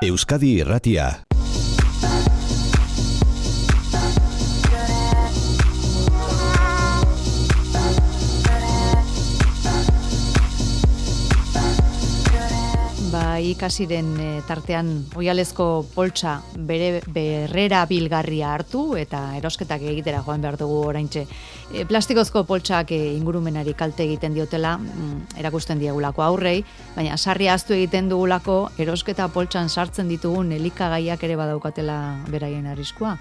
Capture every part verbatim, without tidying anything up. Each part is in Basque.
Euskadi Irratia. Ba, ikasiren e, tartean oihalezko poltsa bere berrera bilgarria hartu eta erosketak egitera joan behar dugu oraintxe. E, plastikozko poltsak e, ingurumenari kalte egiten diotela, mm, erakusten diegulako aurrei, baina sarria ahaztu egiten dugulako erosketa poltsan sartzen ditugun elikagaiak ere badaukatela beraien arriskua.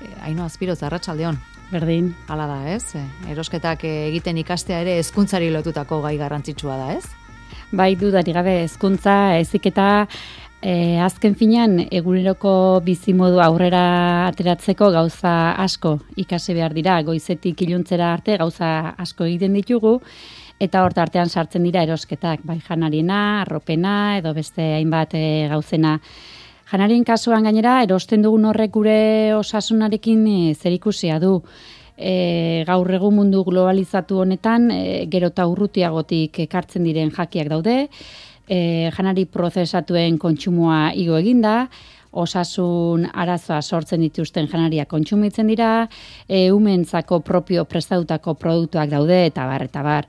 E, Aino Azpiroz, arratsaldeon. Berdin. Hala da, ez? E, erosketak egiten ikastea ere hezkuntzari lotutako gai garrantzitsua da, ez? Bai, dudari gabe hezkuntza, heziketa, e, azken finean eguneroko bizimodu aurrera ateratzeko gauza asko ikasi behar dira, goizetik iluntzera arte gauza asko egiten ditugu, eta hor tartean sartzen dira erosketak, bai janariena, arropena, edo beste hainbat e, gauzena. Janarien kasuan gainera, erosten dugun horrek gure osasunarekin e, zerikusia du. E, gaur egun mundu globalizatu honetan e, gero eta urrutiagotik ekartzen diren jakiak daude, e, janari prozesatuen kontsumoa igo eginda, osasun arazoa sortzen dituzten janariak kontsumitzen dira, e, umentzako propio prestatutako produktuak daude, eta bar, eta bar.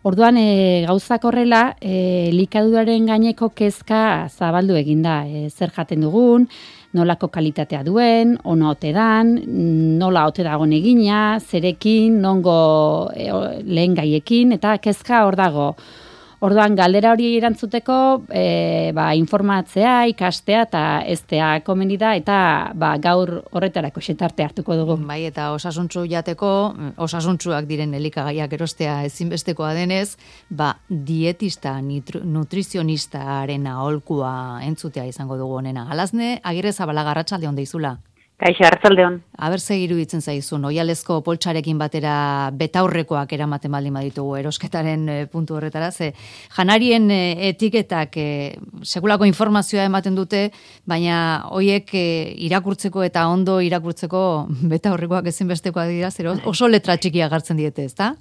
Orduan, e, gauzak horrela, e, likaduraren gaineko kezka zabaldu eginda, e, zer jaten dugun, nolako kalitatea duen, ono ote dan, nola ote dagoen egina, zerekin, nongo e, lehen gaiekin, eta kezka hor dago. Orduan, galdera hori erantzuteko, e, ba, informatzea, ikastea eta eztea komeni da, eta ba, gaur horretarako xetarte hartuko dugu. Bai, eta osasuntsu jateko, osasuntsuak diren elikagaiak erostea ezinbestekoa denez, ba, dietista, nutrizionistaren aholkua entzutea izango dugu honena. Alazne, Agirrezabalaga, arratsaldeon deizula. Kaixo, arratsaldeon. Aber ze iruditzen zaizun, oihalezko poltsarekin batera betaurrekoak eramaten baldin baditugu erosketaren e, puntu horretara, ze janarien e, etiketak e, sekulako informazioa ematen dute, baina hoiek e, irakurtzeko eta ondo irakurtzeko betaurrekoak ezinbestekoak dira, zer oso letra txikia gartzen diete, ezta?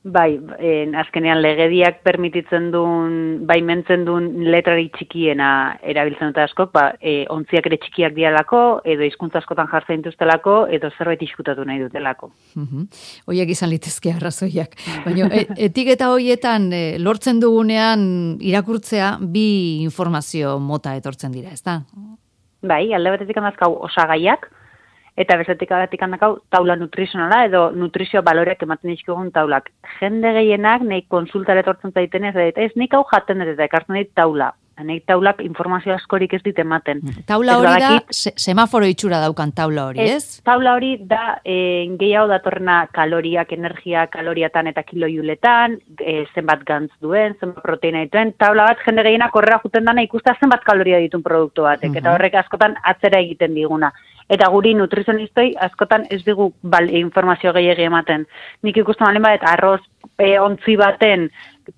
Bai, en, azkenean legediak permititzen duen, baimentzen duen letrari txikiena erabiltzen dute askok, ba, e, ontziak ere txikiak dialako, edo hizkuntza askotan jartzen dituztelako, edo zerbait izkutatu nahi dutelako. Uh-huh. Hoiek izan litezke arrazoiak. Baina e, etiketa hoietan e, lortzen dugunean irakurtzea bi informazio mota etortzen dira, ezta? Bai, alde batetik handazkau osagaiak, eta bestetik agatik handakau taula nutrizionala edo nutrizio baloreak ematen dizkigun taulak. Jende gehienak nahi konsultara etortzen zaitenez, eta ez nik hau jaten dut eta ekartzen dit taula. Nahi taulak informazio askorik ez dit ematen. Taula hori da, se, semaforo itxura daukan taula hori, ez? ez? Taula hori da e, gehiago datorrena kaloriak, energia, kaloriatan eta kiloiuletan, e, zenbat gantz duen, zenbat proteina dituen. Taula bat jende gehienak horrela juten dana ikusta zenbat kaloria ditun produktu batek, uh-huh. Eta horrek askotan atzera egiten diguna. Eta guri nutrizionistoi askotan ez digu bal, informazio gehiagi ematen. Nik ikusten balen badet, arroz e, ontzi baten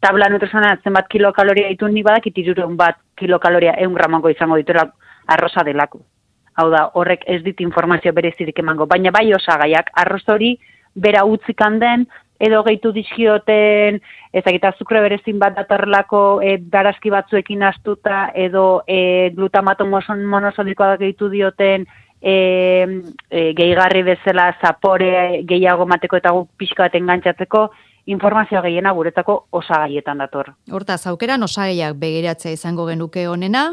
tabla nutrizionala zenbat kilokaloria ditu, nik badakit hirurehun bat kilokaloria ehun gramako izango dituela arroza delako. Hau da, horrek ez dit informazio berezirik emango. Baina bai osagaiak, arroz hori bera utzik handen, edo gehitu dizkioten, ezagita azukre berezin bat datorrelako e, darazki batzuekin astuta, edo e, glutamato monosodikoa gehitu dioten, E, e, gehigarri bezala zapore gehiago mateko eta guk pixka bat engantzatzeko informazioa gehiena guretzako osagaietan dator. Hortaz, aukeran osagaiak begiratzea izango genuke honena.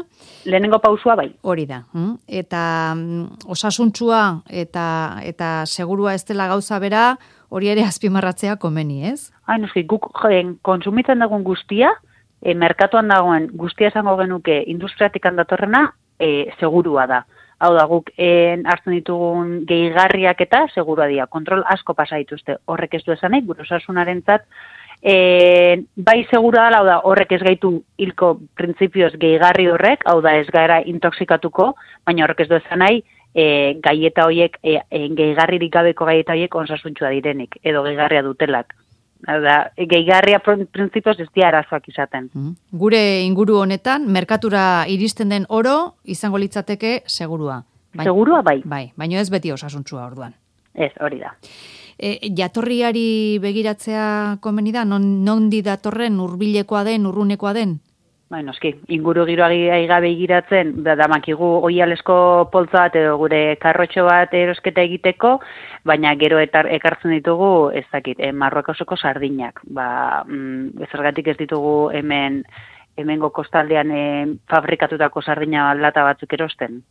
Lehenengo pausua bai. Hori da. Hm? Eta mm, osasuntsua eta eta segurua ez dela gauza bera, hori ere azpimarratzea komeni, ez? Hain, noski, guk joen, konsumitzen dagoen guztia, e, merkatuan dagoen guztia izango genuke industriatik handatorrena, e, segurua da. Hau da, guk en, hartzen ditugun gehigarriak eta segurua dira. Kontrol asko pasa dituzte. Horrek ez du esanik, gure osasunarentzat, e, bai segurua da, hau da, horrek ez gaitu hilko printzipioz gehigarri horrek, hau da ez gara intoxikatuko, baina horrek ez du esanai, e, gaieta horiek, e, e, gehigarririk gabeko gaieta horiek osasuntsua direnik, edo gehigarria dutelak. Da, gehigarria printzipioz ez dira arazoak izaten. Gure inguru honetan, merkatura iristen den oro, izango litzateke segurua. Baina, segurua bai. Bai, baina ez beti osasuntsua orduan. Ez, hori da. E, jatorriari begiratzea komeni da? Non, nondi datorren, hurbilekoa den, urrunekoa den? Bai, noski, inguru giroa gabe igiratzen, da damakigu oialesko poltza bat edo gure karrotxo bat erosketa egiteko, baina gero etar, ekartzen ditugu, ez dakit, eh, Marruekoseko sardinak. Ba, mm, ezergatik ez ditugu hemen hemengo kostaldean eh, fabrikatutako sardina lata batzuk erosten.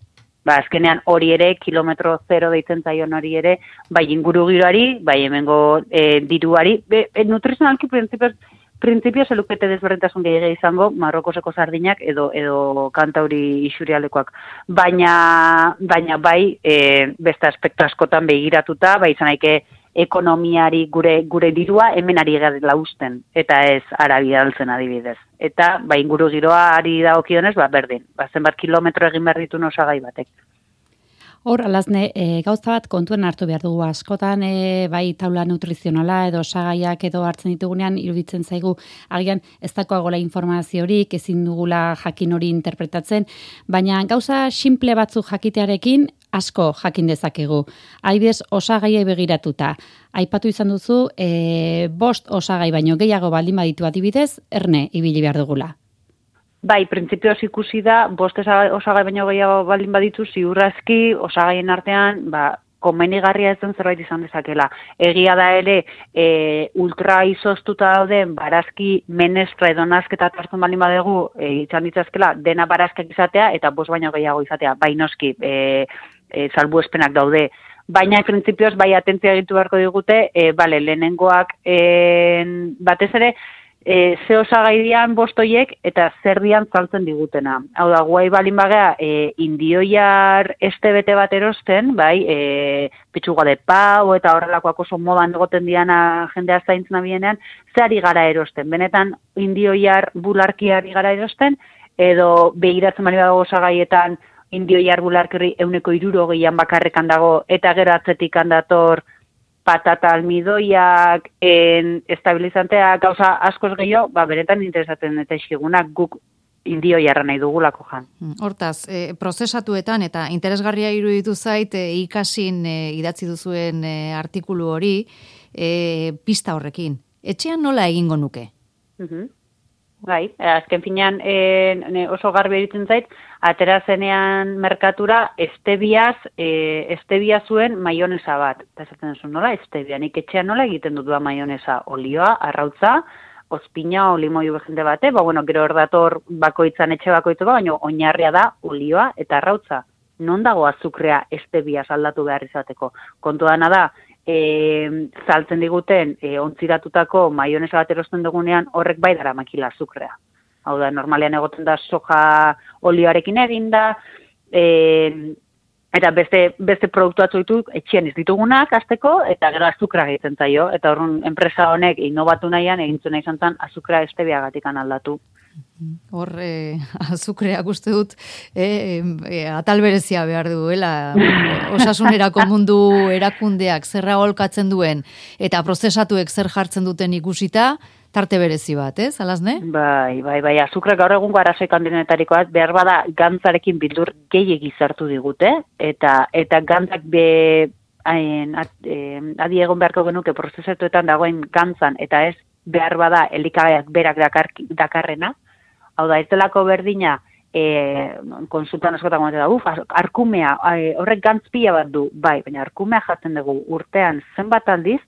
Ba, azkenean hori ere, kilometro zero deitzen zaion hori ere, bai inguru giroari, bai hemengo eh, diruari, be, e, nutrizionalki printzipioz, Printzipio zelukete desberdintasun gehiagia izango Marrokoseko sardinak edo edo Kantauri isurialdekoak. Baina baina bai e, beste aspektu askotan begiratuta, bai izan daike ekonomiari gure gure dirua hemen ari garela usten eta ez Arabia altzen adibidez. Eta bai inguru giroari dagokionez, ba berdin. Ba zenbat kilometro egin behar ditun osagai batek. Hor, alazne, e, gauza bat kontuen hartu behar dugu askotan, e, bai taula nutrizionala edo osagaiak edo hartzen ditugunean, iruditzen zaigu, agian ez dakoagola informaziorik, ezin dugula jakin hori interpretatzen, baina gauza simple batzuk jakitearekin asko jakin dezakegu. Adibidez, osagaiai begiratuta. Aipatu izan duzu, e, bost osagai baino gehiago baldin baditu adibidez, erne ibili behar dugula. Bai, printzipioz ikusi da, bost osagai baino gehiago baldin baditu, ziurrazki osagaien artean, ba, komenigarria ez den zerbait izan dezakela. Egia da ere, e, ultra izoztuta dauden barazki menestra edo nazketa hartzen baldin badegu, e, izan ditzazkela, dena barazkak izatea, eta bost baino gehiago izatea, bai noski, e, e, salbuespenak daude. Baina, printzipioz, bai atentzia egitu beharko digute, e, bale, lehenengoak e, batez ere, E, ze osagai dian bostoiek eta zer dian saltzen digutena. Hau da, guai balin bagea, e, indioiar este bete bat erosten, bai, e, pitxuga de pau eta horrelakoak oso modan egoten diana jendea zaintzen abienean, ze ari gara erosten. Benetan, indioiar bularkiari gara erosten, edo begiratzen bali badago osagaietan indioiar bularkiri euneko iruro gehian bakarrekan dago, eta gero atzetik handator patata almidoiak, en, estabilizanteak, gauza askoz gehiago, ba, beretan interesatzen eta iskigunak guk indio jarra nahi dugulako jan. Hortaz, e, prozesatuetan eta interesgarria iruditu zait e, ikasin e, idatzi duzuen e, artikulu hori e, pista horrekin. Etxean nola egingo nuke? Uh-huh. Bai, azken finean e, oso garbi eritzen zait, atera zenean merkatura estebiaz, e, estebia zuen maionesa bat. Eta esaten zuen nola, estebia, nik etxean nola egiten dut da maionesa, olioa, arrautza, ozpina, olimoio begente bate, ba, bueno, gero erdator bakoitzan etxe bakoitzu ba, baina oinarria da olioa eta arrautza. Non dago azukrea estebiaz aldatu behar izateko? Kontu dana da, E, saltzen diguten e, ontziratutako maionesa bat erosten dugunean horrek bai dara makila azukrea. Hau da, normalean egoten da soja olioarekin eginda, e, eta beste, beste produktu batzu ditu etxean ez ditugunak azteko, eta gero azukra egiten zaio, eta horren enpresa honek inobatu nahian egintzen nahi zantan azukra estebiagatik aldatu. Hor, eh, azukreak uste dut, eh, eh, atal berezia behar duela, osasunerako mundu erakundeak zerra holkatzen duen, eta prozesatuek zer jartzen duten ikusita, tarte berezi bat, ez, alazne? Bai, bai, bai, azukre gaur egungo arazoik handinetarikoaz, behar bada gantzarekin bildur gehiegi zartu digute, eta eta gantzak be, hain, at, eh, adi egon beharko genuke prozesatuetan dagoen gantzan, eta ez behar bada elikagaiak berak dakar, dakarrena. Hau da, ez delako berdina, e, konsultan askotan gometan da, uf, arkumea, e, horrek gantzpila bat du, bai, baina arkumea jaten dugu urtean zenbat aldiz,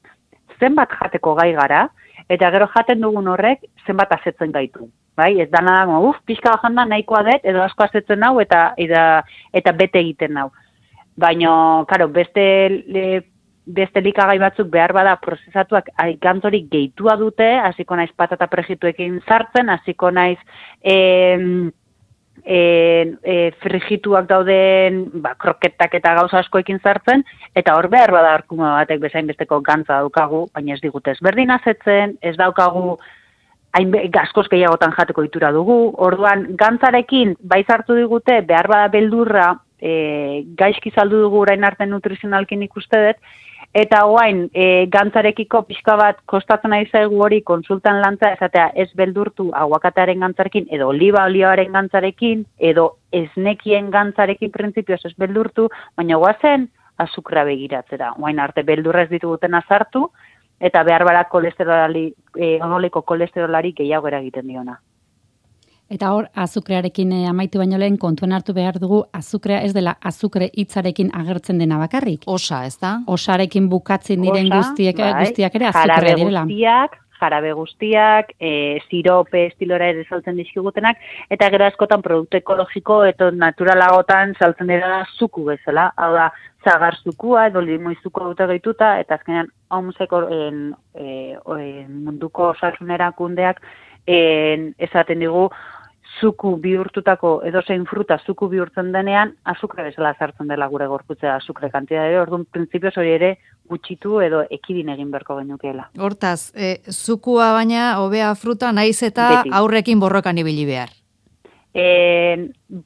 zenbat jateko gai gara, eta gero jaten dugun horrek zenbat asetzen gaitu. Bai, ez dana dago, uf, pixka bajanda nahikoa dut, edo asko asetzen nau, eta, eta, eta bete egiten nau. Baina, karo, beste... Le, beste likagai batzuk behar bada prozesatuak gantzorik gehitua dute, hasiko naiz patata prejituekin sartzen, hasiko naiz e, e, e, frigituak dauden ba, kroketak eta gauza askoekin sartzen, eta hor behar bada arkuma batek bezain besteko gantza daukagu, baina ez digute ezberdin azetzen, ez daukagu hain gaskoz gehiagotan jateko itura dugu, orduan gantzarekin bai sartu digute, behar bada beldurra, e, gaizki saldu dugu orain arte nutrizionalkin ikuste dut, eta guain, e, gantzarekiko pixka bat kostatzen ari zaigu hori konsultan lantza, esatea ez beldurtu aguakatearen gantzarekin, edo oliba olioaren gantzarekin, edo esnekien gantzarekin printzipioz ez beldurtu, baina guazen azukra begiratzera. Guain arte beldurra ez dituguten azartu, eta behar bara kolesterolari, e, odoliko kolesterolari gehiago eragiten diona. Eta hor, azukrearekin eh, amaitu baino lehen kontuan hartu behar dugu, azukrea ez dela azukre hitzarekin agertzen dena bakarrik. Osa, ez da? Osarekin bukatzen diren Osa, guztiek, bai, guztiak ere azukrea direla. Guztiak, jarabe guztiak, e, sirope estilora ere saltzen dizkigutenak, eta gero askotan produktu ekologiko eta naturalagotan saltzen dira zuku bezala. Hau da, zagar zukua edo limoi zukua dute gehituta, eta azkenean haumuzeko e, munduko osasun erakundeak en, esaten digu, zuku bihurtutako edozein fruta zuku bihurtzen denean, azukre bezala sartzen dela gure gorputzea azukre kantidade, orduan printzipioz hori ere gutxitu edo ekidin egin berko genukeela. Hortaz, e, zukua baina hobea fruta naiz eta Beti. aurrekin borrokan ibili behar. E,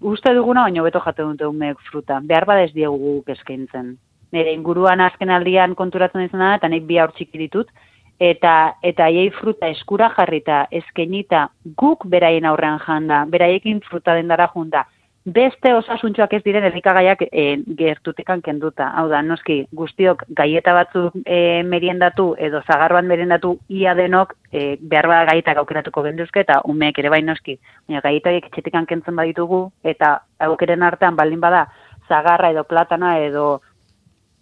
uste duguna baino beto jaten dute umeek fruta, behar bada ez diegu guk eskaintzen. Nire inguruan azken aldian konturatzen izan da, eta nik bi haur txiki ditut, eta eta haiei fruta eskura jarrita, eskainita guk beraien aurrean janda, beraiekin fruta dendara junta. Beste osasuntxoak ez diren elikagaiak e, gertutekan kenduta. Hau da, noski, guztiok gaieta batzuk e, meriendatu edo zagarroan meriendatu ia denok e, behar bada gaietak aukeratuko genduzke eta umeek ere bai noski. Baina gaietaiek etxetekan kentzen baditugu eta aukeren artean baldin bada zagarra edo platana edo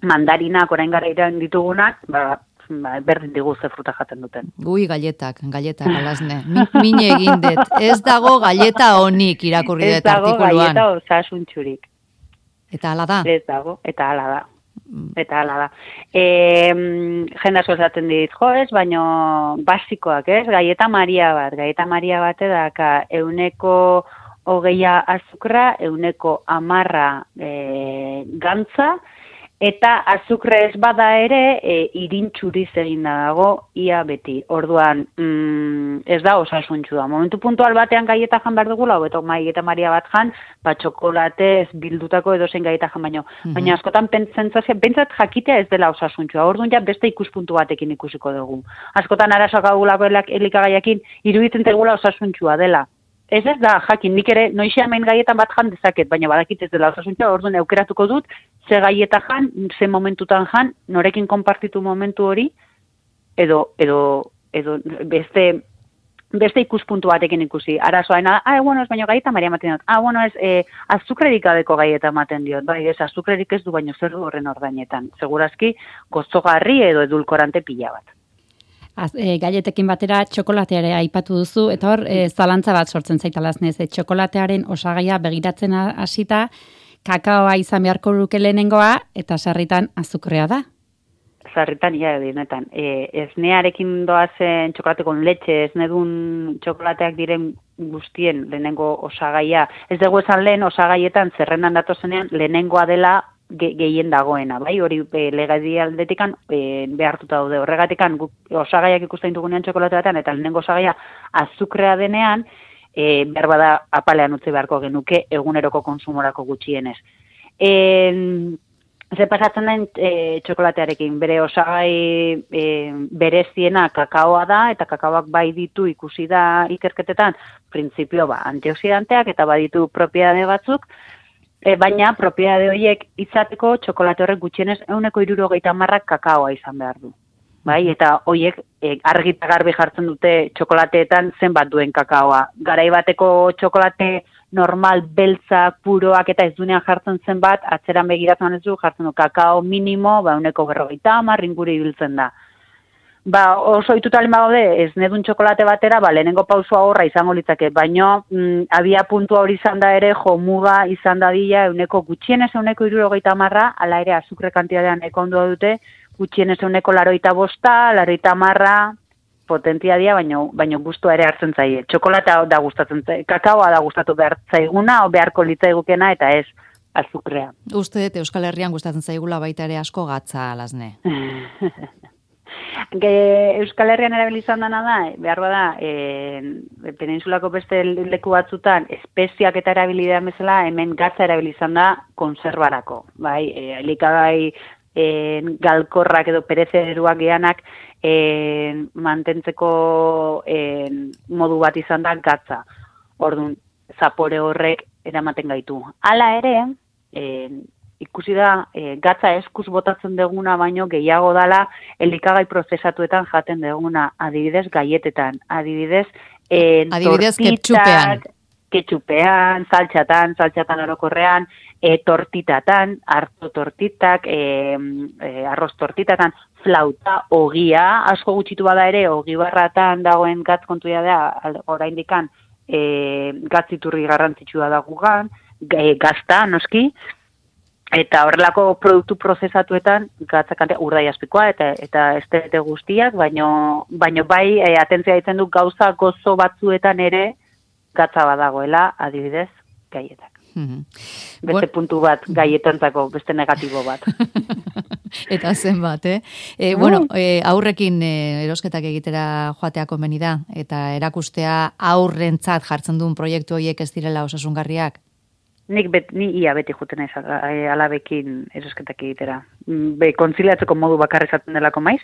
mandarinak orain gara iran ditugunak, ba, ba, berdin digu ze fruta jaten duten. Gui galletak, galletak alazne. Min, mine egin dut. Ez dago galleta honik irakurri dut artikuluan. Ez dago galleta osasuntxurik. Eta hala da? Ez dago, eta hala da. Eta hala da. E, jende asko esaten dit, jo ez, baino basikoak, ez? Galleta Maria bat, galleta Maria bat edaka euneko hogeia azukra, euneko amarra e, gantza, eta azukre ez bada ere, e, irintxuriz egin dago, ia beti. Orduan, mm, ez da osasuntxu da. Momentu puntual batean gaieta jan behar dugula, hobeto mai eta Maria bat jan, ba txokolate ez bildutako edozein gaieta jan baino. Mm-hmm. Baina askotan pentsatze, pentsat jakitea ez dela osasuntxua. Orduan ja beste ikuspuntu batekin ikusiko dugu. Askotan arazoak agulako elikagaiakin iruditzen tegula osasuntxua dela. Ez ez da, jakin, nik ere noixe hemen gaietan bat jan dezaket, baina badakit ez dela osasuntxua, orduan aukeratuko dut, ze gaieta jan, ze momentutan jan, norekin konpartitu momentu hori, edo, edo, edo beste, beste ikuspuntu batekin ikusi. Arazoaena, ah, bueno, ez baino gaieta Maria ematen dut, ah, bueno, ez eh, azukrerik adeko gaieta ematen diot, bai, ez azukrerik ez du, baino zer du horren ordainetan. Segurazki, gozogarri edo edulkorante pila bat. Az, e, galletekin batera txokolateare aipatu duzu, eta hor, e, zalantza bat sortzen zaitalaznez, e, txokolatearen osagaia begiratzen hasita, kakaoa izan beharko luke lehenengoa, eta sarritan azukrea da. Sarritan, ja, dinetan. E, esnearekin doazen txokolatekon letxe, esnedun txokolateak diren guztien lehenengo osagaia. Ez dugu esan lehen osagaietan zerrendan datozenean lehenengoa dela ge, gehien dagoena, bai, hori e, legadi aldetikan e, behartuta daude. Horregatikan osagaiak ikusten dugunean txokolate batean, eta lehenengo osagaia azukrea denean, e, behar bada apalean utzi beharko genuke eguneroko konsumorako gutxienez. E, Ze pasatzen den e, txokolatearekin, bere osagai e, bereziena kakaoa da, eta kakaoak bai ditu ikusi da ikerketetan, printzipio ba, antioxidanteak eta baditu propiedade batzuk, e, baina propiedade horiek izateko txokolate horrek gutxienez ehuneko hirurogeita hamarrak kakaoa izan behar du. Bai, eta horiek e, argi eta garbi jartzen dute txokolateetan zenbat duen kakaoa. Garai bateko txokolate normal, beltzak, puroak eta ez duenean jartzen zen bat, atzeran begiratzen ez du, jartzen du kakao minimo, ba, uneko berrogeita hamar inguru ibiltzen da. Ba, oso ituta lehen bagaude, ez nedun txokolate batera, ba, lehenengo pausua horra izango litzake, baino, mm, abia puntua hori izan da ere, jo, muga izan da dila, uneko gutxienez uneko hirurogeita hamarra, ala ere azukre kantidadean eko ondua dute, gutxienez uneko laroita bosta, laroita hamarra, potentia dia, baino, baino gustua ere hartzen zaie. Txokolatea da gustatzen zaie, kakaoa da gustatu behar zaiguna, o beharko litzaigukena, eta ez azukrea. Uste dut Euskal Herrian gustatzen zaigula baita ere asko gatza alazne. Euskal Herrian erabilizan dana da, behar bada, e, peninsulako beste leku batzutan, espeziak eta erabilidean bezala, hemen gatza erabilizan da konservarako. Bai, e, elikagai e, galkorrak edo perezeruak geanak, E, mantentzeko e, modu bat izan da gatza. Orduan, zapore horrek eramaten gaitu. Hala ere, e, ikusi da, e, gatza eskuz botatzen deguna baino gehiago dala elikagai prozesatuetan jaten deguna, adibidez gaietetan, adibidez, e, adibidez tortitak, ketchupean. ketxupean, saltxatan, saltxatan orokorrean, e, tortitatan, harto tortitak, e, e, arroz tortitatan, flauta, ogia, asko gutxitu bada ere, ogi barratan dagoen gatz kontuia da, oraindikan, e, gatziturri garrantzitsua da gugan, e, gazta, noski, eta horrelako produktu prozesatuetan gatzakante urdai azpikoa eta eta estelete guztiak, baino, baino bai e, atentzia ditzen du gauza gozo batzuetan ere gatza badagoela, adibidez, gaietak. Mm-hmm. Beste bon... puntu bat, gaietantzako, beste negatibo bat. Eta zenbat, eh? E, bueno, e, aurrekin e, erosketak egitera joatea komeni da, eta erakustea aurrentzat jartzen duen proiektu horiek ez direla osasungarriak? Nik bet, ni ia beti juten ez alabekin erosketak egitera. Be, kontziliatzeko modu bakarra izaten delako maiz,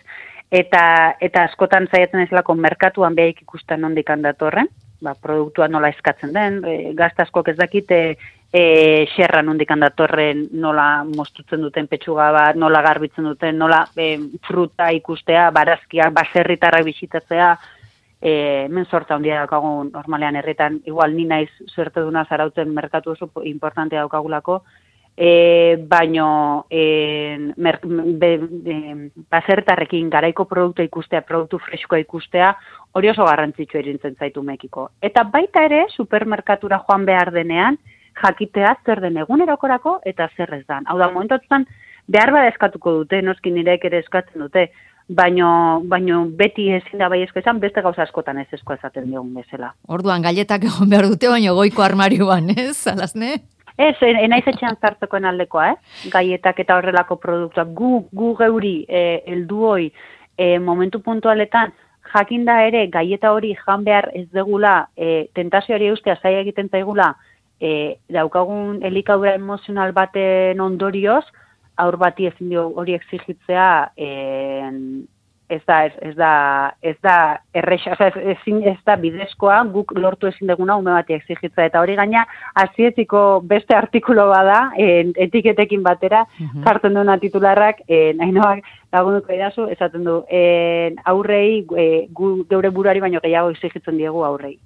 eta, eta askotan zaiatzen ez delako merkatuan behaik ikusten nondik handatorren, ba, produktua nola eskatzen den, e, gaztaskok ez dakite e, xerra nondik handatorren nola mostutzen duten petxuga bat, nola garbitzen duten, nola e, fruta ikustea, barazkiak, baserritarrak bisitatzea, E, hemen sorta handia daukagun normalean herritan, igual ni naiz suerte duna zarautzen merkatu oso importantea daukagulako, e, baino e, mer, be, e, basertarrekin garaiko produktua ikustea, produktu freskoa ikustea, hori oso garrantzitsua irintzen zaitu Mekiko. Eta baita ere, supermerkatura joan behar denean, jakitea zer den egunerokorako eta zer ez dan. Hau da, momentuetan behar bada eskatuko dute, noski nireek ere eskatzen dute, Baino, baino beti ezin da bai esko esan, beste gauza askotan ez esko esaten diogun bezala. Orduan, galletak egon behar dute, baino goiko armarioan, ez, Alasne? Ez, enaiz etxean zartzekoen aldekoa, eh? Gaietak eta horrelako produktuak. Gu, gu geuri, eh, elduoi, eh, momentu puntualetan, jakinda ere, gaieta hori jan behar ez degula, eh, tentazioari eustea zaila egiten zaigula, eh, daukagun elikadura emozional baten ondorioz, aur bati ezin dio hori exigitzea en, ez da ez, ez da ez da erresa, o sea, ez, ez da bidezkoa guk lortu ezin deguna ume bati exigitzea eta hori gaina hasietziko beste artikulu bada en, etiketekin batera uh-huh. Jartzen duena titularrak en Ainoak lagunduko idazu esaten du en, aurrei e, gu, geure buruari baino gehiago exigitzen diegu aurrei.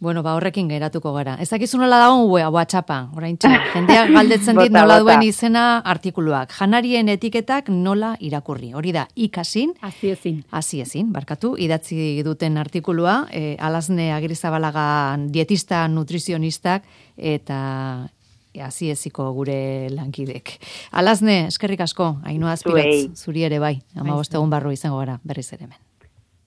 Bueno, ba horrekin geratuko gara. Ez dakizu nola dagoen WhatsAppa, oraintxe. Jendeak galdetzen dit nola duen izena artikuluak. Janarien etiketak nola irakurri. Hori da, ikasin. Hasi ezin. Hasi ezin, barkatu. Idatzi duten artikulua, eh, Alasne Agirrezabalaga dietista, nutrizionistak, eta hasi eziko gure lankidek. Alasne, eskerrik asko, Ainhoa Azpirotz, zuri ere bai. Hamabost egun barru izango gara, berriz ere hemen.